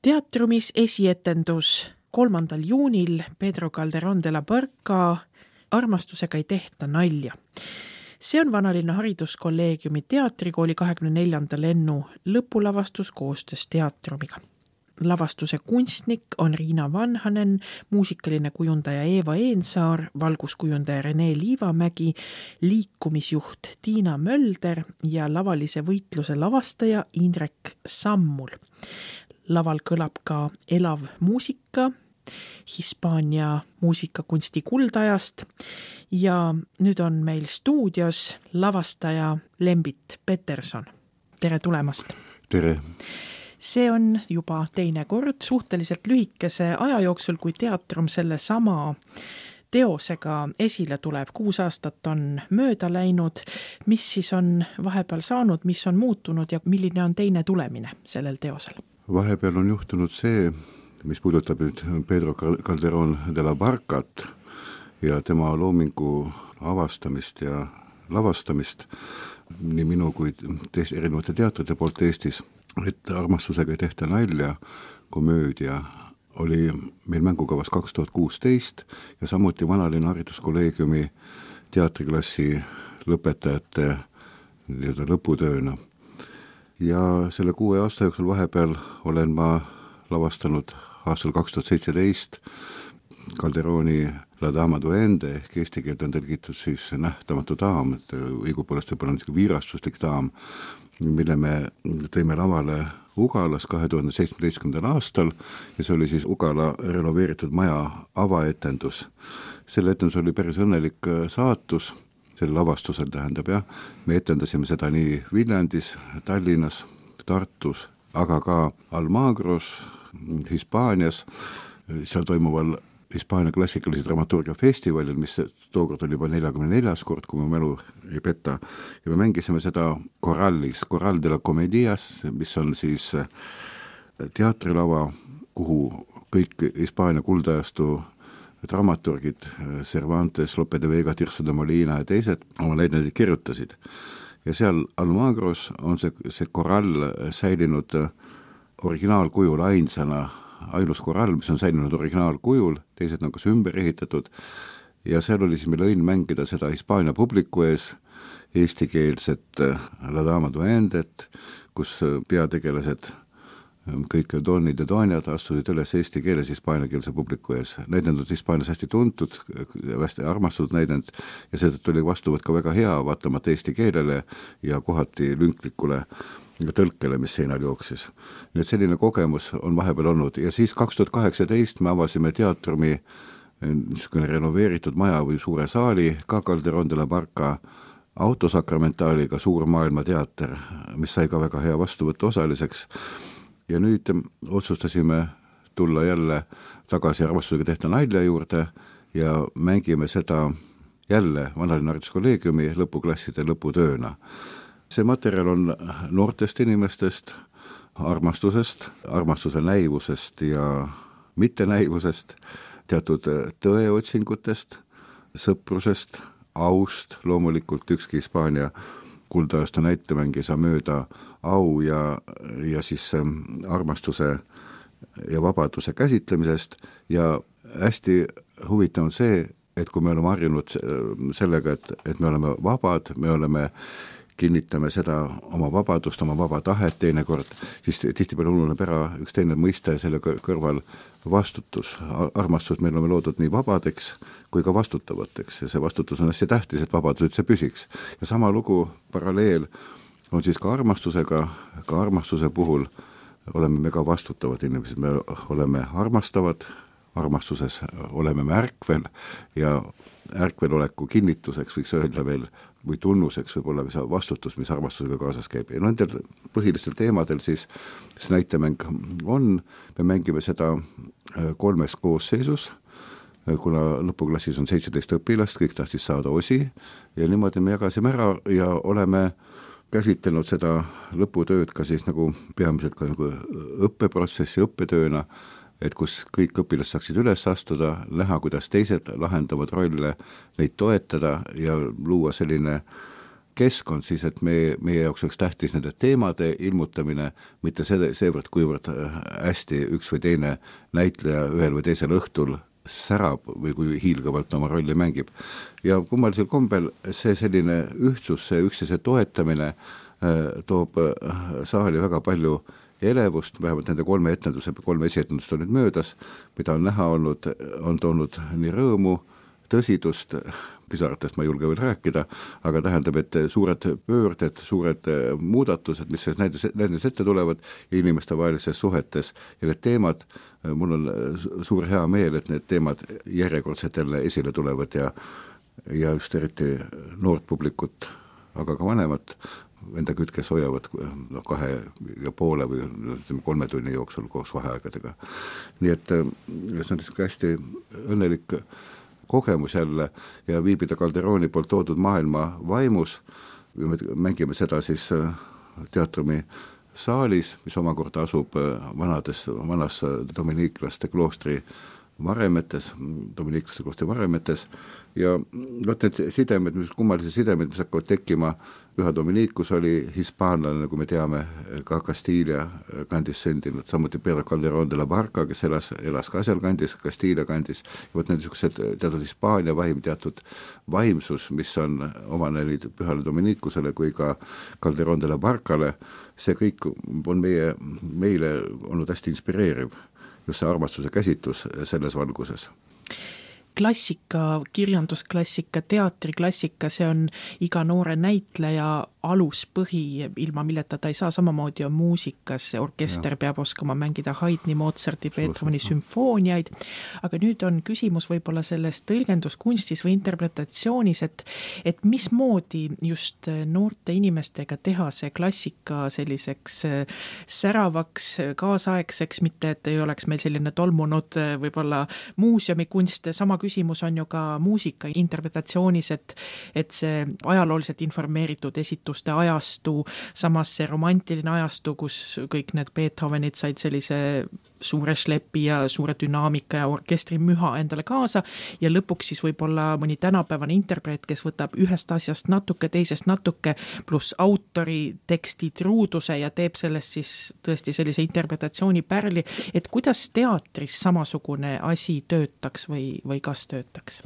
Teatrumis esietendus 3. juunil Pedro Calderón de la Barca Armastusega ei tehta nalja. See on Vanalinna hariduskolleegiumi teatrikooli 24. lennu lõpulavastus koostöös teatrumiga. Lavastuse kunstnik on Riina Vanhanen, muusikaline kujundaja Eeva Eensaar, valguskujundaja Rene Liivamägi, liikumisjuht Tiina Mölder ja lavalise võitluse lavastaja Indrek Sammul. Laval kõlab ka elav muusika Hispaania muusikakunsti kuldajast ja nüüd on meil stuudios lavastaja Lembit Peterson. Tere tulemast! Tere! See on juba teine kord suhteliselt lühikese aja jooksul, kui teatrum selle sama teosega esile tuleb. 6 aastat on mööda läinud. Mis siis on vahepeal saanud, mis on muutunud ja milline on teine tulemine sellel teosel? Vahepeal on juhtunud see, mis puudutab nüüd Pedro Calderón de la Barcat ja tema loomingu avastamist ja lavastamist nii minu kui erinevate teatrite poolt Eestis, et Armastusega ei tehta nalja, komöödia oli meil mängukavas 2016 ja samuti Vanalinna hariduskolleegiumi teatriklassi lõpetajate lõputööna. Ja selle 6 aasta jooksul vahepeal olen ma lavastanud aastal 2017 Calderóni La Dama Duende ehk eesti keelt on tõlgitud siis nähtamatu daam, et õigupoolest võib-olla on viirastuslik daam, mille me tõime lavale Ugalas 2017. aastal ja see oli siis Ugala renoveeritud maja avaetendus. Selle etendus oli päris õnnelik saatus, selle lavastusel tähendab jah, me etendasime seda nii Viljandis, Tallinnas, Tartus, aga ka Almagros, Hispaanias, seal toimuval Hispaania klassikalise dramaturgia festivalil, mis tookord oli juba 44. kord, kui mu mälu ei peta. Ja me mängisime seda korallis, Coral de la Comedias, mis on siis teatrilava, kuhu kõik Hispaania kuldajastu dramaturgid, Cervantes, Lope de Vega, Tirso de Molina ja teised oma leidnedid kirjutasid. Ja seal Almagros on see korall säilinud originaalkujul ainus korall, mis on säilinud originaalkujul, teised on kas ümber ehitatud ja seal oli siis meil õnn mängida seda Hispaania publiku ees eestikeelset La Dama Duendet, kus peategelased kõik doonid ja doonjad astusid üles eesti keeles hispaaniakeelse publiku ees. Näidend on Hispaanias hästi tuntud, hästi armastatud näidend ja seetõttu oli vastuvõtt ka väga hea, vaatamata eesti keelele ja kohati lünklikule tõlkele, mis seinal jooksis. Nii et selline kogemus on vahepeal olnud ja siis 2018 me avasime teatrumi renoveeritud maja või suure saali, ka Calderón de la Barca autosakramentaaliga suur maailmateater, mis sai ka väga hea vastuvõttu osaliseks. Ja nüüd otsustasime tulla jälle tagasi Armastusega tehta nalja juurde ja mängime seda jälle Vanalinna hariduskolleegiumi lõpuklasside lõputööna. See materjal on noortest inimestest, armastusest, armastuse näivusest ja mittenäivusest, teatud tõeotsingutest, sõprusest, aust, loomulikult ükski Hispaania kuldajast näitemäng ei saa mööda au ja siis armastuse ja vabaduse käsitlemisest ja hästi huvitav on see, et kui me oleme harjunud sellega, et me oleme vabad, kinnitame seda oma vabadust, oma vaba tahet teinekord, siis tihtipeale ununeb ära üks teine mõiste selle kõrval vastutus. Armastus meil oleme loodud nii vabadeks kui ka vastutavateks ja see vastutus on hästi tähtis, et vabadus üldse püsiks. Ja sama lugu, paralleel on siis ka armastusega, ka armastuse puhul oleme me ka vastutavad inimesed, me oleme armastavad, armastuses oleme me ärkvel ja ärkveloleku kinnituseks võiks öelda veel või tunnuseks võib olla ka see vastutus, mis armastusega kaasas käib. Ja nendel põhilistel teemadel siis näitemäng on, me mängime seda 3 koosseisus, kuna lõpuklassis on 17 õpilast, kõik tahtis saada osi ja niimoodi me jagasime ära ja oleme käsitlenud seda lõputööd ka siis nagu peamiselt ka nagu õppeprotsessi, õppetööna, et kus kõik õpilased saaksid üles astuda, näha, kuidas teised lahendavad rolle, neid toetada ja luua selline keskkond siis, et meie jaoks oleks tähtis nende teemade ilmutamine, mitte seevõrd, kuivõrd hästi üks või teine näitleja ühel või teisel õhtul särab või kui hiilgavalt oma rolli mängib. Ja kummalisel kombel see selline ühtsus, see üksteise toetamine toob saali väga palju elevust, vähemalt nende 3 esietendust on nüüd möödas, mida on näha olnud, on toonud nii rõõmu, tõsidust, pisaratest ma ei julge veel rääkida, aga tähendab, et suured pöörded, suured muudatused, mis nendes ette tulevad ja inimeste vahelises suhetes ja need teemad, mul on suur hea meel, et need teemad järjekordselt jälle esile tulevad ja just eriti noort publikut, aga ka vanemat enda kütkes hoiavad 2,5 või 3 tunni jooksul koos vaheaegadega. Nii et see on hästi õnnelik kogemus jälle ja viibida Calderoni poolt toodud maailma vaimus. Me mängime seda siis teatrumi saalis, mis omakorda asub vanas dominiiklaste kloostri varemetes ja need sidemed, kummalise sidemed, mis hakkavad tekkima, üha Dominikus oli hispaanlane, nagu me teame, ka Castilla kandis sündinud, samuti Pedro Calderón de la Barca, kes elas ka seal kandis, Castilla kandis, ja võt need teatud Hispaania vaim, teatud vaimsus, mis on omane nii pühale Dominikusele kui ka Calderón de la Barcale, see kõik on meile olnud hästi inspireeriv, just see armastuse käsitlus selles valguses. Klassika, kirjandusklassika, teatriklassika, see on iga noore näitleja aluspõhi, ilma milleta ta ei saa, samamoodi on muusikas, orkester peab oskama mängida Haydni, Mozarti, Beethoveni sümfooniaid, aga nüüd on küsimus võib-olla selles tõlgenduskunstis või interpretatsioonis, et mismoodi just noorte inimestega teha see klassika selliseks säravaks, kaasaegseks, mitte et ei oleks meil selline tolmunud võib-olla muuseumikunst, sama küsimus on ju ka muusika interpretatsioonis, et see ajalooliselt informeeritud esitus ajastu, samas see romantiline ajastu, kus kõik need Beethovenid said sellise suure šlepi ja suure dünaamika ja orkestri müha endale kaasa ja lõpuks siis võib-olla mõni tänapäevane interpret, kes võtab ühest asjast natuke, teisest natuke, pluss autori teksti truuduse ja teeb sellest siis tõesti sellise interpretatsiooni pärli, et kuidas teatris samasugune asi töötaks või kas töötaks?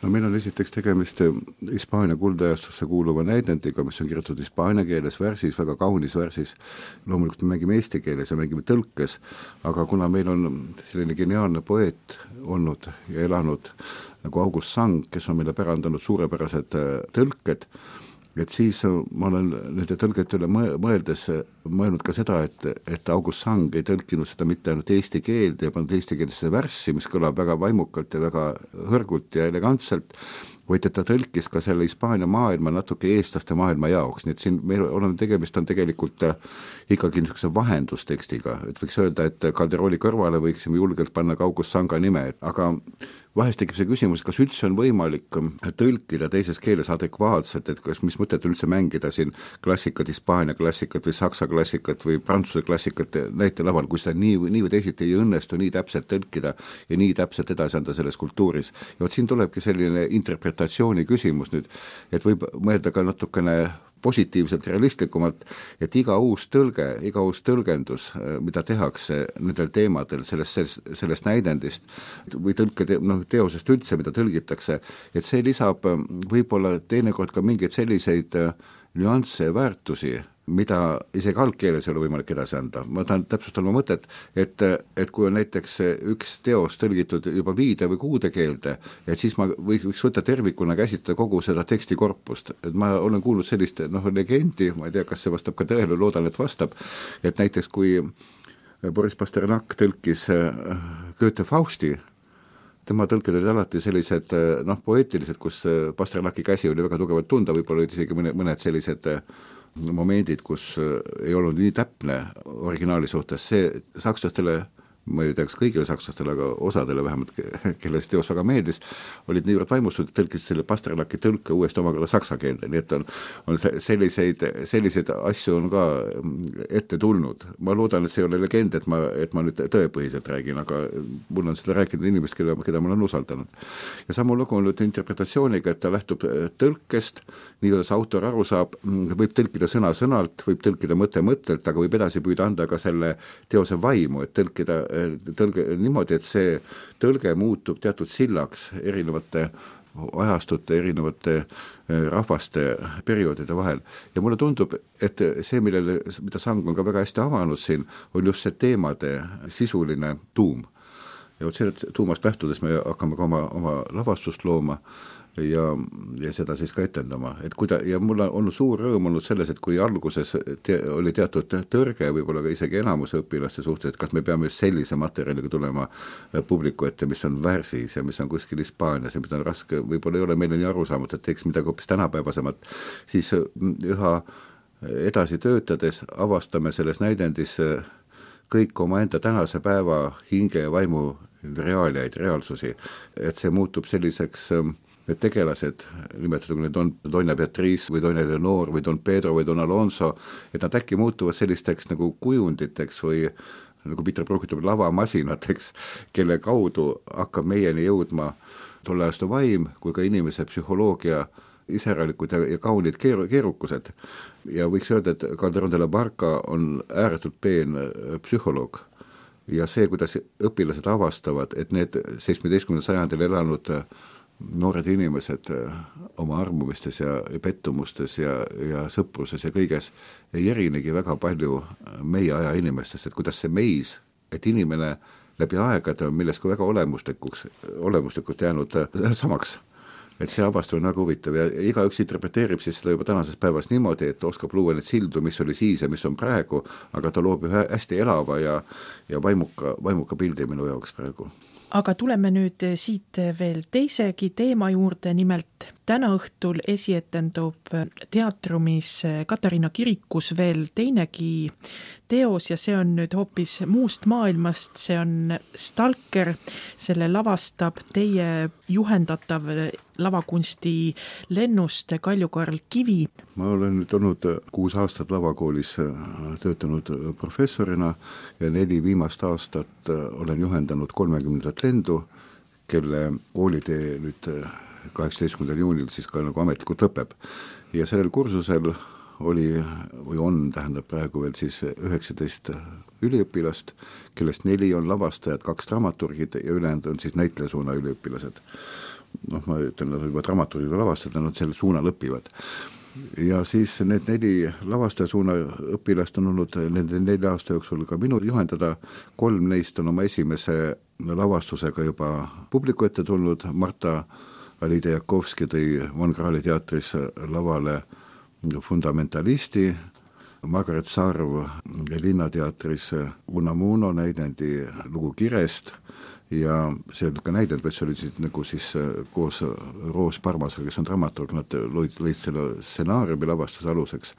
No meil on esiteks tegemist Hispaania kuldajastusse kuuluva näidendiga, mis on kirjutatud hispaania keeles värsis, väga kaunis värsis. Loomulikult me mängime eesti keeles ja mängime tõlkes, aga kuna meil on selline geniaalne poeet olnud ja elanud nagu August Sang, kes on meile pärandanud suurepärased tõlked, et siis ma olen nende tõlgete üle mõelnud ka seda, et August Sang ei tõlkinud seda mitte ainult eesti keelde ja pannud eesti keelesse värssi, mis kõlab väga vaimukalt ja väga hõrgult ja elegantselt, vaid et ta tõlkis ka selle Hispaania maailma natuke eestlaste maailma jaoks, nii et siin meil tegemist on tegelikult ikkagi niisuguse vahendustekstiga, et võiks öelda, et Calderoni kõrvale võiksime julgelt panna ka August Sanga nime, aga vahest tekib see küsimus, kas üldse on võimalik tõlkida teises keeles adekvaatselt, et mis mõtet üldse mängida siin klassikat, Hispaania klassikat või Saksa klassikat või Prantsuse klassikat näitelaval, kui seda nii või teisiti ei õnnestu nii täpselt tõlkida ja nii täpselt edasi anda selles kultuuris. Ja vot siin tulebki selline interpretatsiooni küsimus nüüd, et võib mõelda ka natukene positiivselt, realistlikumalt, et iga uus tõlgendus, mida tehakse nendel teemadel sellest näidendist või teosest üldse, mida tõlgitakse, et see lisab võib-olla teinekord ka mingeid selliseid nüansse ja väärtusi, mida isegi algkeeles ei ole võimalik edasi anda. Ma tahan täpsustada oma mõtet, et kui on näiteks üks teos tõlgitud juba viide või kuude keelde, et siis ma võiks võtta tervikuna käsitleda kogu seda tekstikorpust. Et ma olen kuulnud sellist legendi, ma ei tea, kas see vastab ka tõele, loodan, et vastab, et näiteks kui Boris Pasternak tõlkis Goethe Fausti, tema tõlked olid alati sellised poeetilised, kus Pasternaki käsi oli väga tugevalt tunda, võib-olla olid isegi mõned sellised momendid, kus ei olnud nii täpne originaali suhtes. See sakslastele ma ei teaks kõigile sakslastele, aga osadele vähemalt, kelle see teos väga meeldis, olid niivõrd vaimustatud, et tõlkisid selle Pasternaki tõlke uuesti omakorda saksa keelde, nii et on selliseid asju on ka ette tulnud. Ma loodan, et see ei ole legend, et ma nüüd tõepõhiselt räägin, aga mul on seda rääkinud inimest, keda ma olen usaldanud. Ja samu lugu on nüüd interpretatsiooniga, et ta lähtub tõlkest, nii kuidas autor aru saab, võib tõlkida sõna-sõnalt, võib tõlkida mõttelt, aga võib edasi püüda anda ka selle teose vaimu, et tõlge niimoodi, et see tõlge muutub teatud sillaks erinevate ajastute, erinevate rahvaste perioodide vahel. Ja mulle tundub, et see, mida Sang on ka väga hästi avanud siin, on just see teemade sisuline tuum. Ja sellest tuumast lähtudes me hakkame ka oma lavastust looma ja seda siis ka etendama. Ja mul on olnud suur rõõm olnud selles, et kui alguses oli teatud tõrge, võib-olla ka isegi enamuse õpilaste suhtes, et kas me peame just sellise materjaliga tulema publiku ette, mis on värsis ja mis on kuskil Hispaanias ja mida on raske, võib-olla ei ole meile nii arusaamatu, et teeks midagi hoopis tänapäevasemat, siis üha edasi töötades avastame selles näidendis kõik omaenda tänase päeva hinge ja vaimu reaaliaid, reaalsusi, et see muutub selliseks need tegelased, nimetatud kui need Doña Beatriz või Doña Leonor või Don Pedro või Don Alonso, et nad äkki muutuvad sellisteks nagu kujunditeks või nagu Peter Brook ütleb, lavamasinateks, kelle kaudu hakkab meieni jõudma tolle aasta vaim kui ka inimese psühholoogia iseralikud ja kaunid keerukused. Ja võiks öelda, et Calderón de la Barca on ääretult peen psühholoog. Ja see, kuidas õpilased avastavad, et need 17. sajandil elanud noored inimesed oma armumistes ja pettumustes ja sõpruses ja kõiges ei erinegi väga palju meie aja inimestest, et kuidas see meis, et inimene läbi aegade on milleski väga olemuslikult jäänud samaks. Et see avastus on väga huvitav ja igaüks interpreteerib siis seda juba tänases päevas niimoodi, et oskab luua neid sildu, mis oli siis ja mis on praegu, aga ta loob ühe hästi elava ja vaimuka pildi minu jaoks praegu. Aga tuleme nüüd siit veel teisegi teema juurde, nimelt täna õhtul esietendub teatrumis Katariina kirikus veel teinegi teos ja see on nüüd hoopis muust maailmast, see on Stalker, selle lavastab teie juhendatav lavakunsti lennust Kalju-Karl Kivi. Ma olen nüüd olnud 6 aastat lavakoolis töötanud professorina ja 4 viimast aastat olen juhendanud 30. lendu, kelle koolitee nüüd 18. juunil siis ka nagu ametlikult lõpeb. Ja sellel kursusel tähendab praegu veel siis 19 üliõpilast, kellest 4 on lavastajad, 2 dramaturgid ja ülejäänud on siis näitlejasuuna üliõpilased. Ma ütlen, juba dramaturgid ja lavastajad, nad selle suunal õpivad. Ja siis need 4 lavastajasuuna õpilast on olnud nende 4 aasta jooksul ka minu juhendada. 3 neist on oma esimese lavastusega juba publiku ette tulnud. Marta Alida Jakovski tõi Von Krahli teatris lavale Fundamentalisti, Margaret Sarv Linnateatris Unamuno näidendi lugu Kirest ja see oli ka näidend, vaid see oli siis nagu siis koos Roos Parmasega, kes on dramaturg, nad lõid selle stsenaariumi lavastuse aluseks.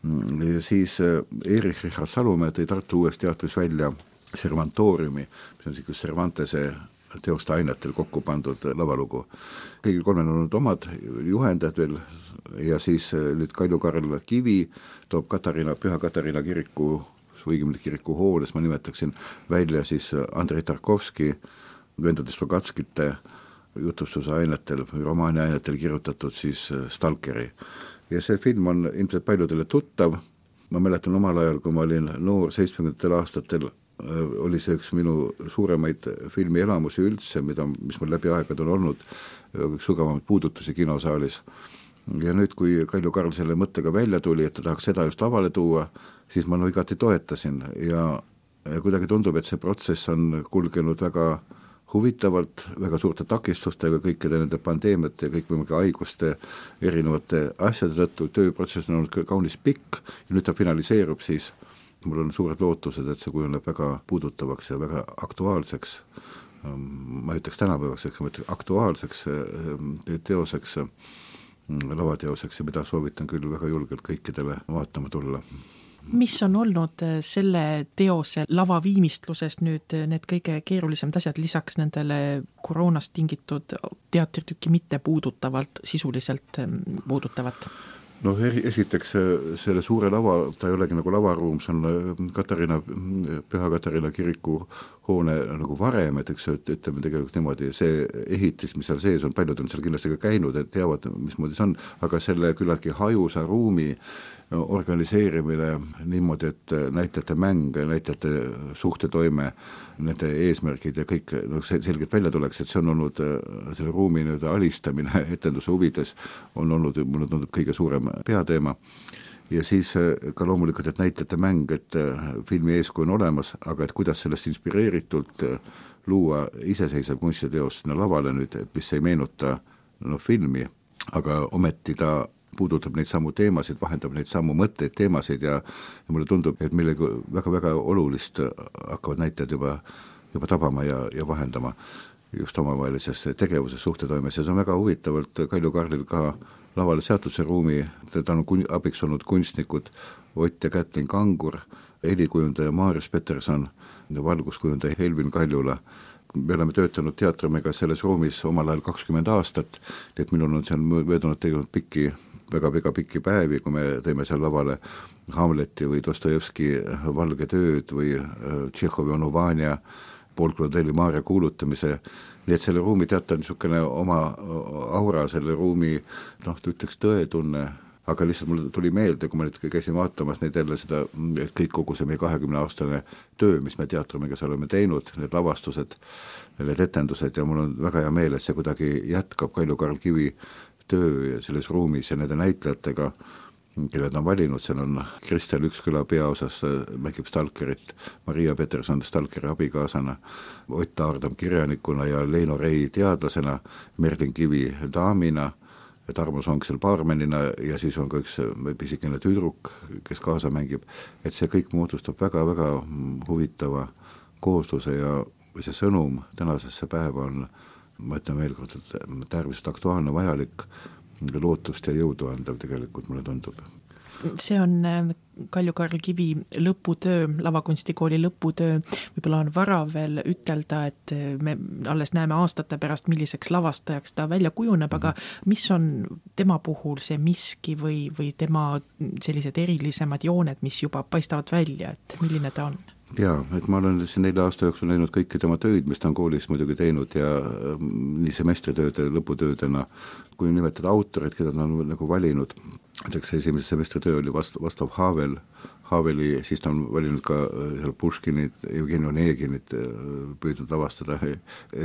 Ja siis Erich Richard Salumäe tõi Tartu Uues teatris välja Servantoriumi, mis on siis Cervantese teoste ainetel kokku pandud lavalugu. Kõigil 3 on olnud omad juhendajad veel ja siis nüüd Kalju-Karl Kivi toob Püha Katariina kiriku, õigemini kiriku hooles, ma nimetaksin välja siis Andrei Tarkovski vendade Slogatskite jutustuse ainetel, romaani ainetel kirjutatud siis Stalkeri. Ja see film on ilmselt paljudele tuttav. Ma mäletan omal ajal, kui ma olin noor 70. aastatel, oli see üks minu suuremaid filmielamusi üldse, mis mul läbi aegad on olnud, üks sugavamaid puudutusi kinosaalis. Ja nüüd, kui Kalju-Karl selle mõttega välja tuli, et ta tahaks seda just lavale tuua, siis ma igati toetasin ja kuidagi tundub, et see protsess on kulgenud väga huvitavalt, väga suurte takistustega, kõikide nende pandeemiate ja kõikvõimalike haiguste erinevate asjade tõttu. Tööprotsess on olnud kaunis pikk ja nüüd ta finaliseerub siis. Mul on suured lootused, et see kujuneb väga puudutavaks ja väga aktuaalseks, ma ütleks tänapäevaks, aktuaalseks teoseks, lavateoseks ja mida soovitan küll väga julgelt kõikidele vaatama tulla. Mis on olnud selle teose lavaviimistluses nüüd need kõige keerulisemad asjad lisaks nendele koroonast tingitud teatritükki mitte puudutavalt, sisuliselt puudutavat? No esiteks selle suure lava, ta ei olegi nagu lavaruum, see on Püha Katariina kiriku hoone nagu varem, et eks ütleme tegelikult niimoodi, see ehitis, mis seal sees on, paljud on seal kindlasti ka käinud, et teavad, mismoodi see on, aga selle küllaltki hajusa ruumi organiseerimine niimoodi, et näitlejate mäng, näitlejate suhtetoime, nende eesmärgid ja kõik selgelt välja tuleks, et see on olnud selle ruumi alistamine etenduse huvides, on olnud kõige suurem peateema. Ja siis ka loomulikult, et näitlejate mäng, et filmi eeskuju on olemas, aga et kuidas sellest inspireeritult luua iseseisev kunstiteos sinna lavale nüüd, et mis ei meenuta filmi, aga ometi ta puudutab neid samu teemasid, vahendab neid samu mõtteid, teemasid ja mulle tundub, et millegi väga-väga olulist hakkavad näitajad juba tabama ja vahendama just omavahelises tegevuses, suhtetoimes ja see on väga huvitavalt Kalju Karlil ka lavale seatud see ruumi, ta on abiks olnud kunstnikud Ott ja Kätlin Kangur, helikujundaja Marius Peterson, valguskujundaja Helvin Kaljula. Me oleme töötanud teatrimiga selles ruumis omal ajal 20 aastat, et minul on seal möödunud tegelikult väga pikki päevi, kui me teeme seal lavale Hamleti või Dostojevski Valge tööd või Tšehhovi Onu Vanja, Poolklodelli Maarja kuulutamise, nii et selle ruumi teatab niisugune oma aura, selle ruumi, ütleks tõetunne, aga lihtsalt mulle tuli meelde, kui ma nüüd käisin vaatamas neid jälle seda, et kõik kogu see meie 20-aastane töö, mis me teatrimiga seal oleme teinud, need lavastused, need etendused ja mul on väga hea meel, et see kuidagi jätkab Kalju Karl Kivi töö selles ruumis ja nende näitlejatega, kelle ta on valinud, seal on Kristel Üksküla peaosas, mängib Stalkerit, Maria Peterson Stalkeri abikaasana, Ott Aardam kirjanikuna ja Leino Rei teadlasena, Merlin Kivi daamina, Tarmo Song seal baarmenina ja siis on ka üks pisikene tüdruk, kes kaasa mängib, et see kõik moodustab väga-väga huvitava koosluse ja see sõnum tänasesse päeva on, ma ütlen veel kord, et äärmiselt aktuaalne, vajalik, lootust ja jõudu andav tegelikult mulle tundub. See on Kalju Karl Kivi lõputöö, lavakunstikooli lõputöö, võib-olla on vara veel ütelda, et me alles näeme aastate pärast, milliseks lavastajaks ta välja kujuneb, aga mis on tema puhul see miski või tema sellised erilisemad jooned, mis juba paistavad välja, et milline ta on? Jaa, et ma olen siin 4 aasta jooksul näinud kõiki tema töid, mis ta on koolis muidugi teinud ja nii semestritööde, lõputöödena, kui nimetada autorid, keda ta on nagu valinud, näiteks esimese semestritöö oli vastav Haveli, siis ta on valinud ka Puškinit, Jevgeni Oneginit püüdnud lavastada,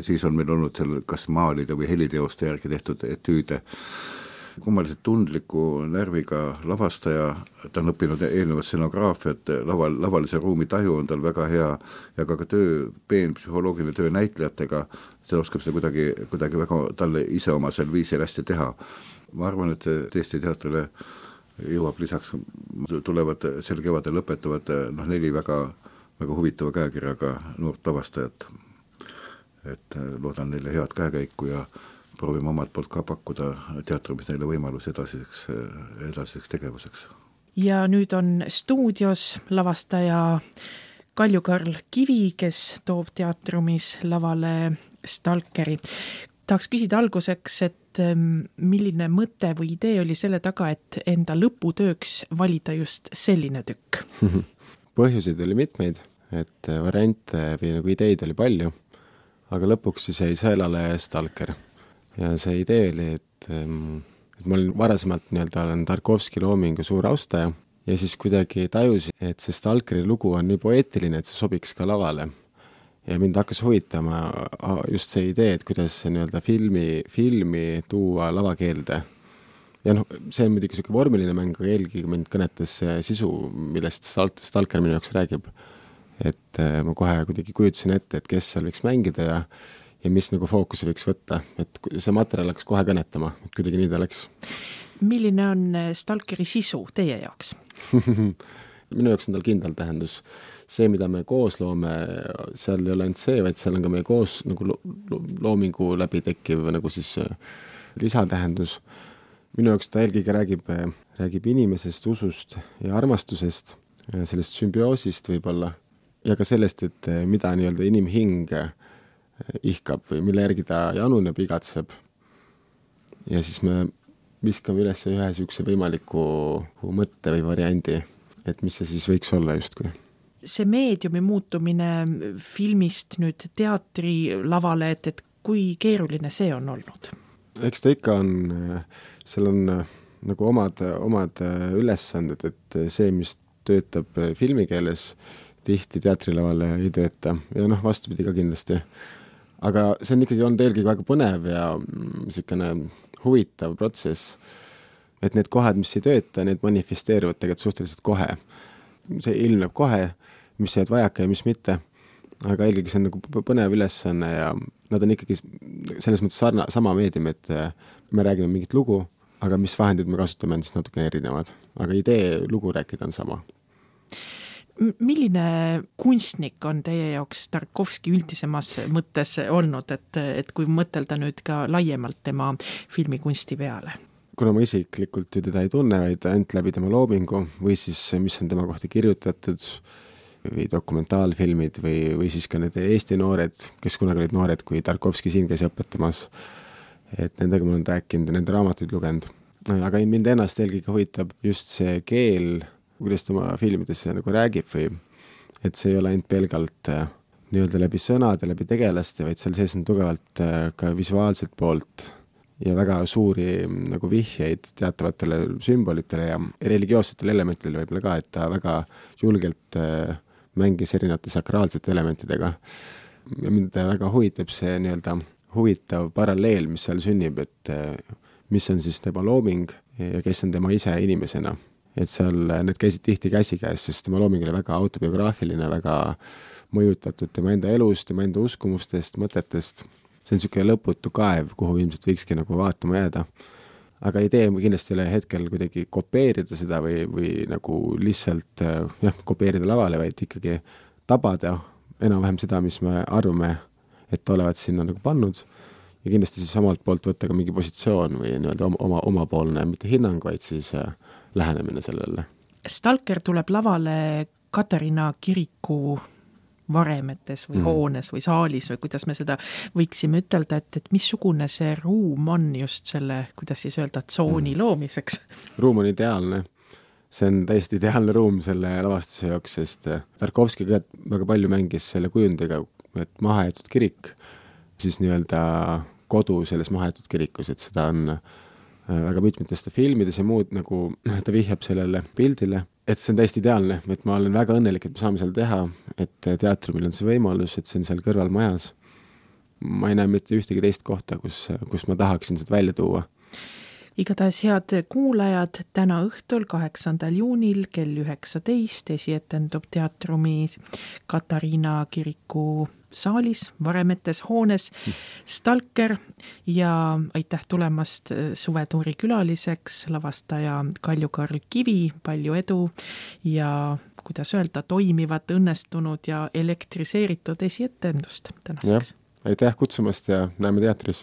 siis on meil olnud seal kas maalide või heliteoste järgi tehtud etüüde, kummaliselt tundliku närviga lavastaja, ta on õppinud eelnevat scenograafiat, lavalise ruumi taju on tal väga hea ja ka psühholoogiline töö näitlejatega, see oskab seda kuidagi väga talle iseomasel viisil hästi teha. Ma arvan, et Eesti teatrile jõuab lisaks, tulevad sel kevadel lõpetavad 4 väga huvitava käekirjaga noort lavastajat, et loodan neile head käekäiku ja proovime omalt poolt ka pakkuda teatrumis neile võimalus edasiseks tegevuseks. Ja nüüd on stuudios lavastaja Kalju Karl Kivi, kes toob teatrumis lavale Stalkeri. Tahaks küsida alguseks, et milline mõte või idee oli selle taga, et enda lõputööks valida just selline tükk? Põhjuseid oli mitmeid, et variante või nagu ideid oli palju, aga lõpuks siis jäi sõelale Stalker. Ja see idee oli, et ma olen varasemalt olen Tarkovski loomingu suur austaja ja siis kuidagi tajusin, et see Stalkeri lugu on nii poeetiline, et see sobiks ka lavale. Ja mind hakkas huvitama just see idee, et kuidas see filmi tuua lavakeelde. Ja see on muidugi selline vormiline mäng, aga eelkõige mind kõnetas see sisu, millest Stalker minu jaoks räägib. Et ma kohe kuidagi kujutasin ette, et kes seal võiks mängida ja mis nagu fookuse võiks võtta, et see materjal hakkas kohe kõnetama, et kuidagi nii ta läks. Milline on Stalkeri sisu teie jaoks? Minu jaoks on tal kindel tähendus. See, mida me koos loome, seal ei ole ainult see, vaid seal on ka meie koos nagu loomingu läbi tekkiv nagu siis lisatähendus. Minu jaoks ta eelkõige räägib inimesest, usust ja armastusest, sellest sümbioosist võib-olla ja ka sellest, et mida nii-öelda inimhing ihkab või mille järgi ta januneb, igatseb. Ja siis me viskame üles ühe niisuguse võimaliku mõtte või variandi, et mis see siis võiks olla justkui. See meediumi muutumine filmist nüüd teatrilavale, et kui keeruline see on olnud? Eks ta ikka on, seal on nagu omad ülesanded, et see, mis töötab filmikeeles, tihti teatrilavale ei tööta ja vastupidi ka kindlasti. Aga see on ikkagi olnud eelkõige väga põnev ja niisugune huvitav protsess, et need kohad, mis ei tööta, need manifesteeruvad tegelikult suhteliselt kohe. See ilmneb kohe, mis jääd vajaka ja mis mitte, aga eelkõige see on nagu põnev ülesanne ja nad on ikkagi selles mõttes sama meedium, et me räägime mingit lugu, aga mis vahendid me kasutame on siis natuke erinevad, aga idee lugu rääkida on sama. Milline kunstnik on teie jaoks Tarkovski üldisemas mõttes olnud, et kui mõtelda nüüd ka laiemalt tema filmikunsti peale? Kuna ma isiklikult ju teda ei tunne, vaid ainult läbi tema loomingu või siis mis on tema kohta kirjutatud või dokumentaalfilmid või siis ka need Eesti noored, kes kunagi olid noored, kui Tarkovski siin käis õpetamas, et nendega ma olen rääkinud ja nende raamatuid lugenud. Aga mind ennast eelkõige huvitab just see keel, kuidas ta oma filmidesse nagu räägib või et see ei ole ainult pelgalt nii-öelda läbi sõnade, läbi tegelaste, vaid seal sees on tugevalt ka visuaalselt poolt ja väga suuri nagu vihjeid teatavatele sümbolitele ja religioossetele elementidele võib-olla ka, et ta väga julgelt mängis erinevate sakraalsete elementidega. Ja mind väga huvitab see nii-öelda huvitav paralleel, mis seal sünnib, et mis on siis tema looming ja kes on tema ise inimesena. Et seal need käisid tihti käsikäes, sest tema looming oli väga autobiograafiline, väga mõjutatud tema enda elust, tema enda uskumustest, mõtetest. See on niisugune lõputu kaev, kuhu ilmselt võikski nagu vaatama jääda. Aga idee kindlasti ei ole hetkel kuidagi kopeerida seda või nagu lihtsalt kopeerida lavale, vaid ikkagi tabada enam-vähem seda, mis me arvame, et olevat sinna nagu pannud ja kindlasti siis omalt poolt võtta ka mingi positsioon või nii-öelda omapoolne, mitte hinnang, vaid siis lähenemine sellele. Stalker tuleb lavale Katariina kiriku varemetes või hoones või saalis või kuidas me seda võiksime ütelda, et missugune see ruum on just selle, kuidas siis öelda, tsooni loomiseks? Ruum on ideaalne. See on täiesti ideaalne ruum selle lavastuse jaoks, sest Tarkovski väga palju mängis selle kujundiga, et mahajäetud kirik, siis nii-öelda kodu selles mahajäetud kirikus, et seda on väga mitmetest filmides ja muud nagu ta vihjab sellele pildile, et see on täiesti ideaalne, et ma olen väga õnnelik, et me saame seal teha, et teatrumil on see võimalus, et see on seal kõrval majas. Ma ei näe mitte ühtegi teist kohta, kus ma tahaksin seda välja tuua. Igatahes head kuulajad, täna õhtul 8. juunil kell 19 esietendub teatrumi Katariina kiriku saalis, varemetes hoones Stalker ja aitäh tulemast Suvetuuri külaliseks, lavastaja Kalju-Karl Kivi, palju edu ja kuidas öelda, toimivat, õnnestunud ja elektriseeritud esietendust tänaseks. Aitäh kutsumast ja näeme teatris!